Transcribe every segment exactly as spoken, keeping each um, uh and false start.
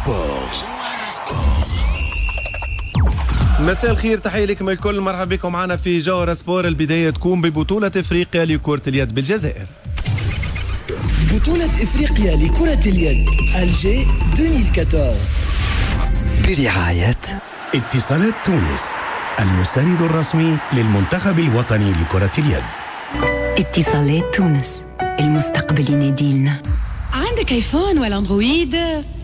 سبور. مساء الخير، تحية لكم الكل، مرحبا بكم معنا في جوهرة سبور. البداية تكون ببطولة افريقيا لكرة اليد بالجزائر. بطولة افريقيا لكرة اليد Alger ألفين وأربعة عشر برعاية اتصالات تونس، المساند الرسمي للمنتخب الوطني لكرة اليد. اتصالات تونس، المستقبل يناديلنا. عندك iPhone ولا Android؟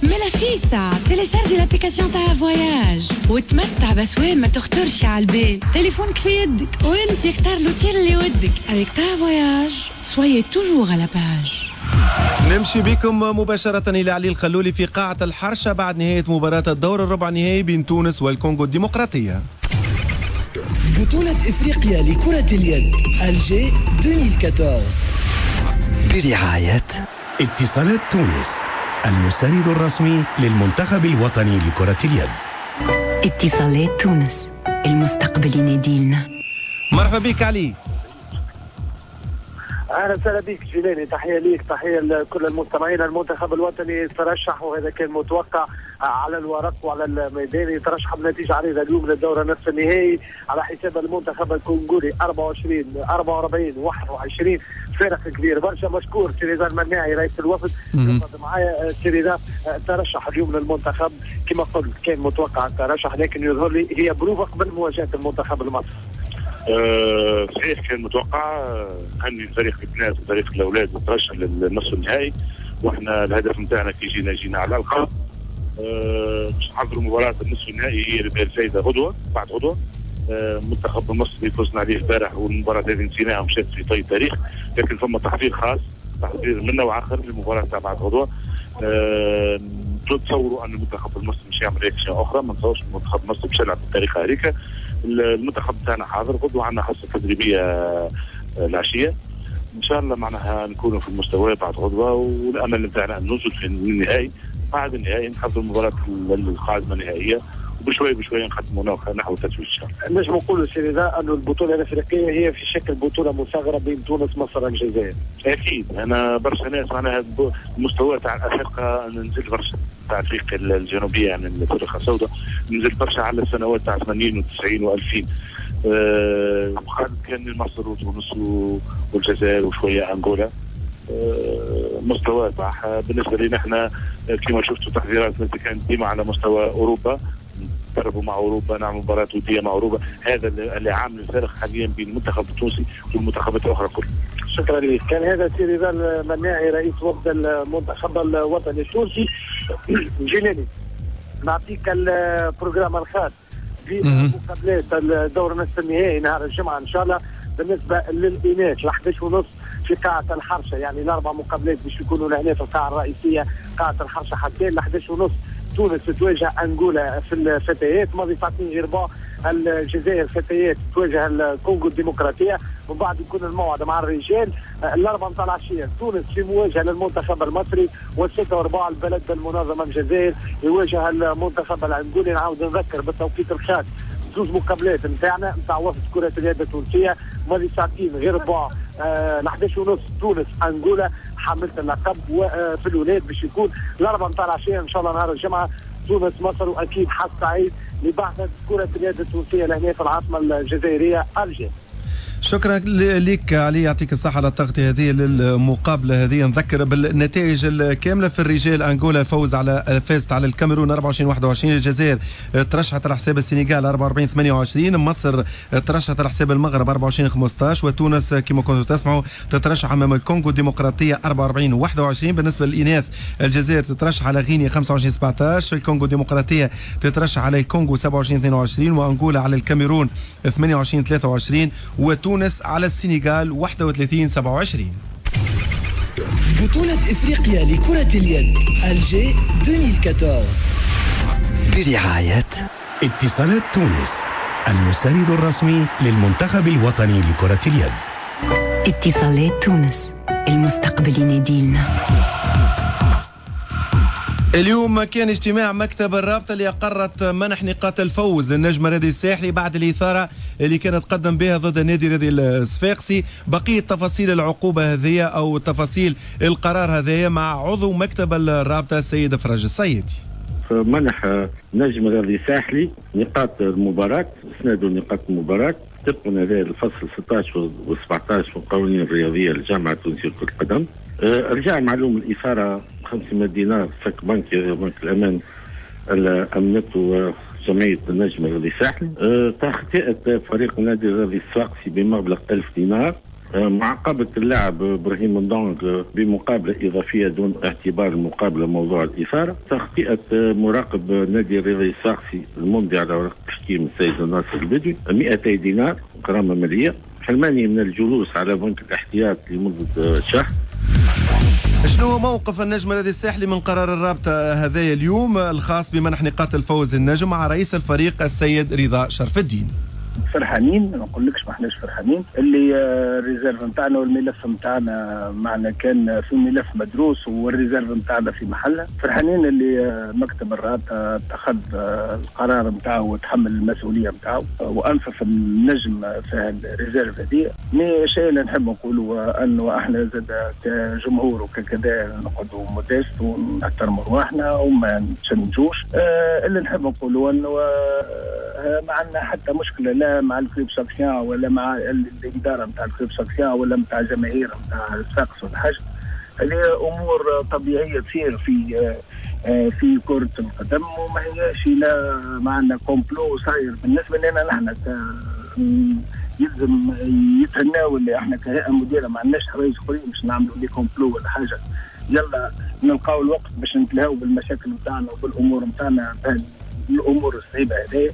مالا فيسع télécharger l'application تاع Voyage وتمتع باسوام ما تخطرش على البال. تليفونك في يدك وانت اختار l'hôtel اللي ودك. avec Ta Voyage، soyez toujours à la page. نمشي بكم مباشرة إلى علي الخلولي في قاعة الحرشة بعد نهاية مباراة الدور الربع نهائي بين تونس والكونغو الديمقراطية. بطولة افريقيا لكرة اليد Alger ألفين وأربعة عشر برعاية اتصالات تونس، المساند الرسمي للمنتخب الوطني لكرة اليد. اتصالات تونس، المستقبل يناديلنا. مرحبا بك علي. اهلا وسهلا بك جيلاني، تحية ليك، تحية لكل المستمعين. المنتخب الوطني ترشح، وهذا كان متوقع على الورق وعلى الميدان، يترشح بنتيجة عريضة اليوم للدور نصف النهائي على حساب المنتخب الكونغولي أربعة وعشرين أربعة وأربعين واحد وعشرين، فارق كبير برشا. مشكور سي رضا المناعي رئيس الوفد معايا. سي رضا، ترشح اليوم للمنتخب، كما قلت كان متوقع الترشح، لكن يظهر لي هي بروفا قبل مواجهة المنتخب المصري. أه صحيح، كان متوقع. كان فريق البنات وفريق الاولاد ترشح للنصف النهائي، واحنا الهدف نتاعنا كي جينا جينا على الألقاب. أه باش نحضروا مباراة النصف النهائي هي اللي الفايدة غدوه بعد غدوه. أه المنتخب المصري فزنا عليه البارح، والمباراة هذه نسيناها ومشات في طي التاريخ، لكن فما تحضير خاص، تحضير من نوع اخر للمباراة تاع بعد غدوه. أه تصوروا ان المنتخب المصري مش يعمل réaction اخرى؟ ما نتصورش المنتخب المصري باش يلعب بالطريقة هذيك. المنتخب تاعنا حاضر، غدوه عندنا حصة تدريبية آه، العشيه، ان شاء الله معناها نكونوا في المستوى بعد غدوه، والامل نتاعنا ان نوصل في النهائي. بعد النهائي نحضر المباراة القادمة النهائيه، وبشوي بشوي نقدموا نحو التتويج ان شاء الله. نجم نقولوا سي رضا انه البطولة الافريقية هي في شكل بطوله مصغرة بين تونس، مصر، الجزائر؟ اكيد، انا برشا ناس معناها المستوى تاع الافارقة نزل برشا، تاع افريقيا الجنوبيه، يعني الافارقة السوداء، نزل برشا على السنوات تاع ثمانين وتسعين وألفين. أه كان مصر وتونس والجزائر وشوية انغولا. أه مستوى طاح. بالنسبة لنا احنا كما شفتوا تحضيراتنا كانت ديما على مستوى اوروبا، نتدربوا مع اوروبا، نعمل مباريات وديه مع اوروبا. هذا اللي عامل الفارق حاليا بين المنتخب التونسي والمنتخبات الاخرى كلها. شكرا لك. كان هذا سي رضا المناعي رئيس وفد المنتخب الوطني التونسي. جيلاني، نعطيك ال programme الخاص بمقابلات الدور نصف النهائي نهار الجمعة ان شاء الله. بالنسبة للاناث احداش ونص في قاعة الحرشه، يعني الاربع مقابلات باش يكونوا لهنا في القاعة الرئيسية قاعة الحرشه حتى ل احداش ونص. تونس تواجه انغولا في الفتيات، ماضي ساعتين غير ربع الجزائر فتيات تواجه الكونغو الديمقراطيه، ومن بعد يكون الموعد مع الرجال الاربعة نتاع العشية تونس في مواجهة للمنتخب المصري، والستة وربع البلد المنظمة الجزائر يواجه المنتخب الانغولي. نعاود نذكر بالتوقيت الخاص زوج مقابلات نتاعنا نتاع وفد كرة اليد التونسية: ماضي ساعتين غير ربع آه احداش ونص تونس انغولا حاملة اللقب، وفي الولاد باش يكون الاربعة نتاع العشية ان شاء الله نهار الجمعة تونس مصر. واكيد حظ سعيد لبعثة كرة اليد التونسية لهنا في العاصمة الجزائرية Alger. شكرا لك علي، يعطيك الصحة على التغطية هذه للمقابلة هذه. نذكر بالنتائج الكاملة: في الرجال أنغولا فوز على فازت على الكاميرون أربعة وعشرين واحد وعشرين، الجزائر ترشحت على حساب السنغال أربعة وأربعين ثمانية وعشرين، مصر ترشحت على حساب المغرب أربعة وعشرين خمسة عشر، وتونس كما كنتوا تسمعوا تترشح أمام الكونغو الديمقراطية أربعة وأربعين واحد وعشرين. بالنسبة للإناث الجزائر تترشح على غينيا خمسة وعشرين سبعة عشر، الكونغو الديمقراطية تترشح على الكونغو سبعة وعشرين اثنين وعشرين، وأنغولا على الكاميرون ثمانية وعشرين ثلاثة وعشرين، وتونس على السنغال واحد وثلاثين سبعة وعشرين. بطولة افريقيا لكرة اليد Alger ألفين وأربعة عشر برعاية اتصالات تونس، المساند الرسمي للمنتخب الوطني لكرة اليد. اتصالات تونس، المستقبل يناديلنا. اليوم كان اجتماع مكتب الرابطة اللي أقرت منح نقاط الفوز للنجم الرياضي الساحلي بعد الإثارة اللي كانت قدم بها ضد النادي الرياضي الصفاقسي. بقية تفاصيل العقوبة هذه أو تفاصيل القرار هذايا مع عضو مكتب الرابطة السيد فرج الصيادي. منح نجم الرياضي الساحلي نقاط المباراة، اسنادوا نقاط المباراة طبقا للفصل ستة عشر و سبعة عشر من القوانين الرياضية للجامعة التونسية لكرة القدم. رجع معلوم الإثارة خمسمائة دينار سك بنكي بنك الأمان اللي أمنته جمعية النجم الرياضي الساحلي. تخطئة فريق النادي الرياضي الصفاقسي بمبلغ ألف دينار. معاقبة اللاعب إبراهيم ندونغ بمقابلة إضافية دون اعتبار المقابلة موضوع الإثارة. تخطئة مراقب نادي الرياضي الصفاقسي الممضي على ورقة التحكيم السيد ناصر البدوي مئتي دينار غرامة مالية. حرماني من الجلوس على بنك الاحتياط لمدة شهر. شنو موقف النجم الرياضي الساحلي من قرار الرابطة هذايا اليوم الخاص بمنح نقاط الفوز النجم مع رئيس الفريق السيد رضا شرف الدين؟ فرحانين، ما نقولكش ما احناش فرحانين، اللي ال réserve نتاعنا والملف نتاعنا معنا كان في ملف مدروس وال réserve نتاعنا في محله. فرحانين اللي مكتب الرابطة اتخذ القرار نتاعو وتحمل المسؤولية نتاعو وانصف النجم في ال réserve هذه. mais شيء اللي نحب نقولوا انه احنا زاد كجمهور وككذا نقعدوا modestes ونحترموا رواحنا وما نتشنجوش. اللي نحب نقولوا انه ما عندنا حتى مشكلة لا مع ال club sfaxien ولا مع الادارة نتاع ال club sfaxien ولا نتاع الجماهير نتاع صفاقس ولا حاجة. هذه امور طبيعية تصير في في كره القدم وما هياش لا معنا complot صاير. بالنسبة لنا نحن يلزم يتهناو اللي احنا كهيئة مديره ما عندناش حوايج اخرين باش نعملوا les complots ولا حاجة. يلا نلقاو الوقت باش نتلهاو بالمشاكل نتاعنا وبالامور نتاعنا الامور الصعيبه هذه.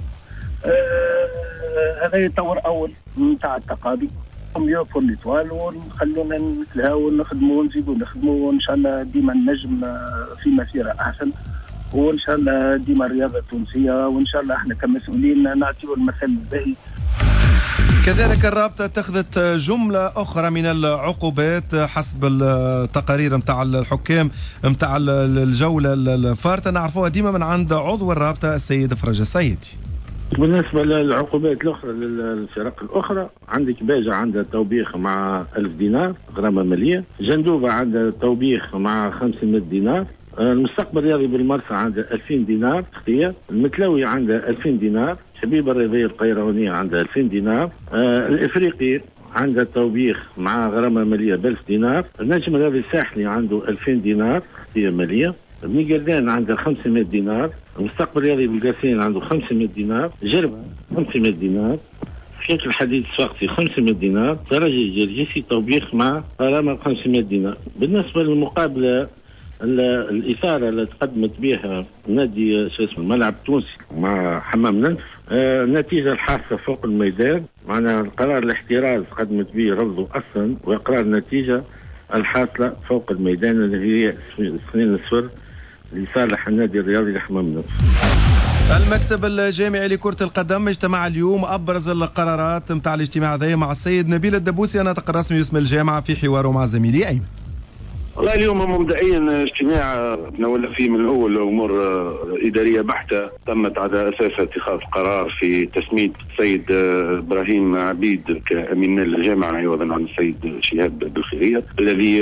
آه هذا يطور اول نتاع التقاضي mieux pour l'Étoile ونخلونا نتلهاو ونخدموا ونزيدوا نخدموا وان شاء الله ديما النجم في مسيره احسن وان شاء الله ديما الرياضة التونسية وان شاء الله احنا كمسؤولين نعطيو المثل الباهي. كذلك الرابطة اتخذت جملة أخرى من العقوبات حسب التقارير متاع الحكام متاع الجولة الفارطة، نعرفوها ديما من عند عضو الرابطة السيد فرج السيدي. بالنسبة للعقوبات الأخرى للفرق الأخرى، عندك باجة عندها توبيخ مع ألف دينار غرامة مالية، جندوبة عندها توبيخ مع خمسمائة دينار، المستقبل الرياضي بالمرسى عندها ألفين دينار اختيار، المتلوي عندها ألفين دينار، شبيبة الرياضية القيروانية عندها ألفين دينار، آه الإفريقي عندها توبيخ مع غرامة مالية بألف دينار، النجم الرياضي الساحلي عنده ألفين دينار اختيار مالية، بني قردان عنده خمسمائة دينار، المستقبل الرياضي بالقاسين عنده خمسمائة دينار، جربة خمسمائة دينار، شركة الحديد الصفاقسي خمسمائة دينار، ترجي الجرجيسي توبيخ مع غرامة خمسمائة دينار. بالنسبة للمقابلة الإثارة اللي تقدمت بها نادي شو اسمه الملعب التونسي مع حمام لنف، النتيجة الحاصلة فوق الميدان، معنا القرار الاحتراز قدمت به رفضه أصلا، وإقرار النتيجة الحاصلة فوق الميدان اللي هي اثنين صفر لصالح النادي الرياضي لحمام لنف. المكتب الجامعي لكرة القدم اجتمع اليوم، أبرز القرارات متاع الاجتماع هذا مع السيد نبيل الدبوسي الناطق الرسمي باسم الجامعة في حواره مع زميلي أيمن. والله اليوم مبدئيا اجتماع تناولنا فيه من الاول امور ادارية بحته تمت على اساس اتخاذ قرار في تسميه السيد ابراهيم عبيد كامين مال الجامعة عوضا عن السيد شهاب بالخيريه الذي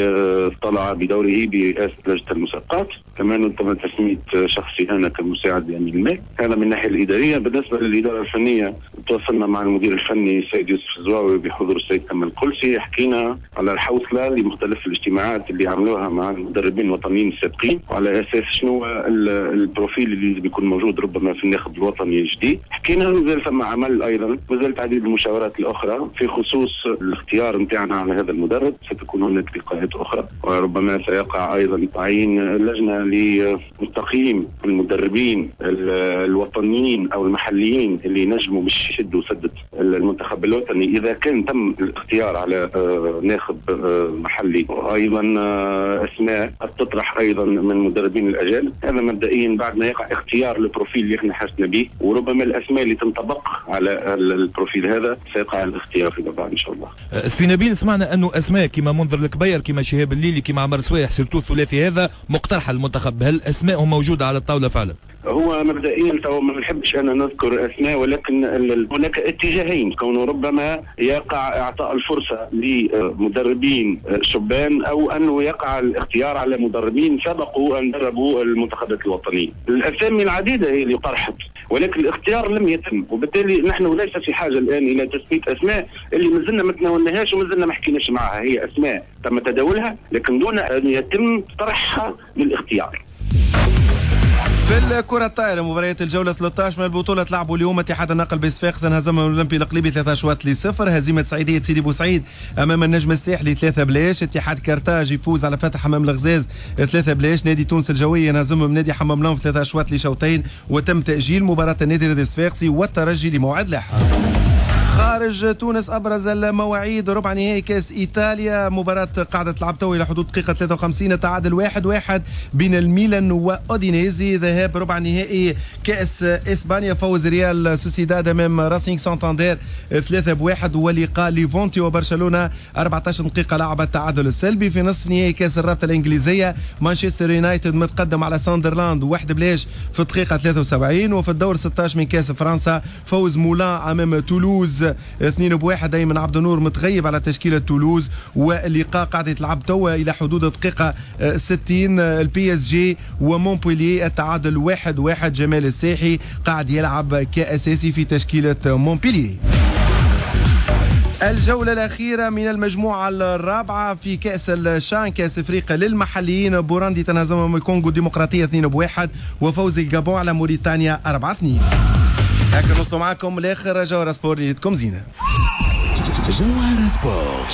طلع بدوره برئاسة لجنة المسابقات، كمان تم تسميه شخصي انا كمساعد لامين المال. هذا من الناحية الادارية. بالنسبة للادارة الفنية تواصلنا مع المدير الفني السيد يوسف الزواوي بحضور السيد كمال القلسي، حكينا على الحوصله لمختلف الاجتماعات اللي عملوها مع المدربين الوطنيين السابقين وعلى اساس شنو ال profil اللي بيكون موجود ربما في الناخب الوطني الجديد. حكينا مازال ثم عمل ايضا، مازالت عديد المشاورات الاخرى في خصوص الاختيار نتاعنا على هذا المدرب، ستكون هناك لقاءات اخرى وربما سيقع ايضا تعيين لجنة لتقييم المدربين الوطنيين او المحليين اللي نجموا باش يشدوا سده المنتخب الوطني اذا كان تم الاختيار على ناخب محلي، وايضا اسماء قد تطرح ايضا من مدربين الاجانب. هذا مبدئيا بعد ما يقع اختيار ال profil اللي احنا حسنا به، وربما الاسماء اللي تنطبق على ال profil هذا سيقع الاختيار فيما بعد ان شاء الله. سي نبيل، سمعنا انه اسماء كما منذر الكبير كما شهاب الليلي كما عمر سويح surtout الثلاثي هذا مقترحه للمنتخب، هل اسمائهم موجودة على الطاولة فعلا؟ هو مبدئيا تو ما نحبش انا نذكر اسماء، ولكن هناك اتجاهين، كونه ربما يقع اعطاء الفرصة لمدربين شبان او انه يقع الاختيار على مدربين سبقوا ان دربوا المنتخبات الوطنية. الاسامي العديدة هي اللي طرحت، ولكن الاختيار لم يتم، وبالتالي نحن ليس في حاجة الان الى تثبيت اسماء اللي مازلنا ما تناولناهاش ومازلنا ما حكيناش معها. هي اسماء تم تداولها لكن دون ان يتم طرحها للاختيار. في الكرة الطائرة مباريات الجولة ثلاثة عشر من البطولة تلعبوا اليوم اتحاد النقل بصفاقس انهزم الأولمبي القليبي ثلاثة أشواط لصفر، هزيمة سعيدية سيدي بوسعيد أمام النجم الساحلي ثلاثة بلاش، اتحاد كرتاج يفوز على فتح حمام الغزاز ثلاثة بلاش، نادي تونس الجوية ينهزم من نادي حمام لنف ثلاثة أشواط لشوطين، وتم تأجيل مباراة النادي الرياضي الصفاقسي والترجي لموعد لاحق. خارج تونس أبرز المواعيد ربع نهائي كأس إيطاليا، مباراة قاعدة تلعب تو إلى حدود دقيقة ثلاثة وخمسين، تعادل واحد واحد بين الميلان وأودينيزي. ذهاب ربع نهائي كأس إسبانيا، فوز ريال سوسيداد أمام راسينغ سانتاندير ثلاثة بواحد، ولقاء ليفونتي وبرشلونة أربعة عشر دقيقة لعب التعادل السلبي. في نصف نهائي كأس الرابطة الإنجليزية مانشستر يونايتد متقدم على ساندرلاند واحد بلاش في الدقيقة ثلاثة وسبعين. وفي الدور ستة عشر من كأس فرنسا فوز مولان أمام تولوز اثنين بواحد، أيمن عبد النور متغيب على تشكيلة تولوز، واللقاء قاعد يتلعب توا إلى حدود دقيقة ستين. البي اس جي ومونبولييه التعادل واحد واحد، جمال الساحي قاعد يلعب كأساسي في تشكيلة مونبولييه. الجولة الأخيرة من المجموعة الرابعة في كأس الشان كأس إفريقيا للمحليين، بوراندي تنهزم من الكونغو الديمقراطية اثنين بواحد، وفوز الجابون على موريتانيا أربعة اثنين. هكا نوصلوا معكم لآخر جوهرة سبور، ليلتكم زينة. جوهرة سبور.